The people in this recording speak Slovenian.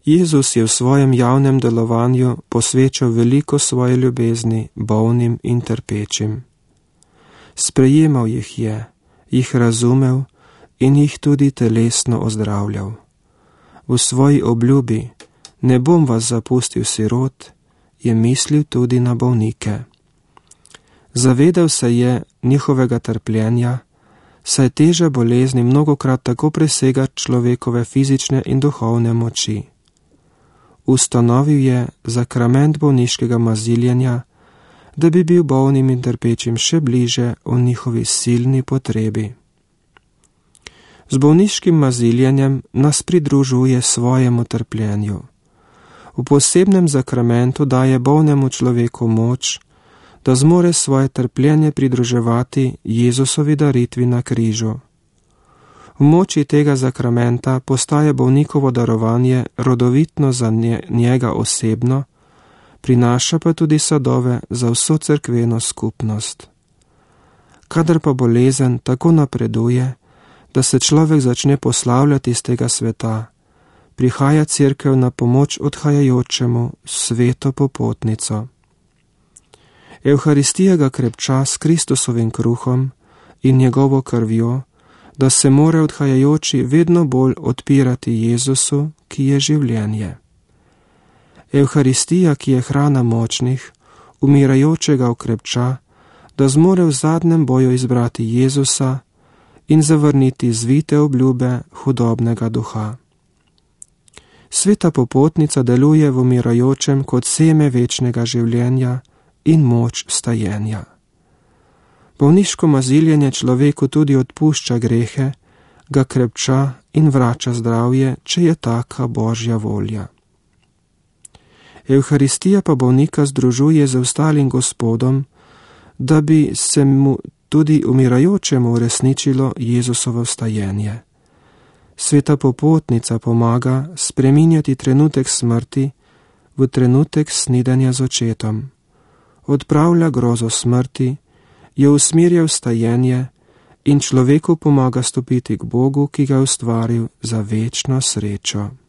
Jezus je v svojem javnem delovanju posvečal veliko svoje ljubezni bolnim in trpečim. Sprejemal jih je, jih razumel in jih tudi telesno ozdravljal. V svoji obljubi, ne bom vas zapustil sirot, je mislil tudi na bolnike. Zavedal se je njihovega trpljenja, saj teža bolezni mnogokrat tako presega človekove fizične in duhovne moči. Ustanovil je zakrament bolniškega maziljenja, da bi bil bolnim in trpečim še bliže v njihovi silni potrebi. Z bolniškim maziljenjem nas pridružuje svojemu trpljenju. V posebnem zakramentu daje bolnemu človeku moč, da zmore svoje trpljenje pridruževati Jezusovi daritvi na križu. V moči tega zakramenta postaje bolnikovo darovanje rodovitno za njega osebno, prinaša pa tudi sadove za vso cerkveno skupnost. Kadar pa bolezen tako napreduje, da se človek začne poslavljati iz tega sveta, prihaja cerkev na pomoč odhajajočemu sveto popotnico. Evharistija ga krepča s Kristusovim kruhom in njegovo krvjo, da se more odhajajoči vedno bolj odpirati Jezusu, ki je življenje. Evharistija, ki je hrana močnih, umirajočega okrepča, da zmore v zadnjem boju izbrati Jezusa in zavrniti zvite obljube hudobnega duha. Sveta popotnica deluje v umirajočem kot seme večnega življenja in moč stajenja. Bolniško maziljenje človeku tudi odpušča grehe, ga krepča in vrača zdravje, če je taka Božja volja. Evharistija pa bolnika združuje z ostalim Gospodom, da bi se mu tudi umirajočemu uresničilo Jezusovo vstajenje. Sveta popotnica pomaga spreminjati trenutek smrti v trenutek snidenja z očetom. Odpravlja grozo smrti, jo usmerja v vstajenje in človeku pomaga stopiti k Bogu, ki ga je ustvaril za večno srečo.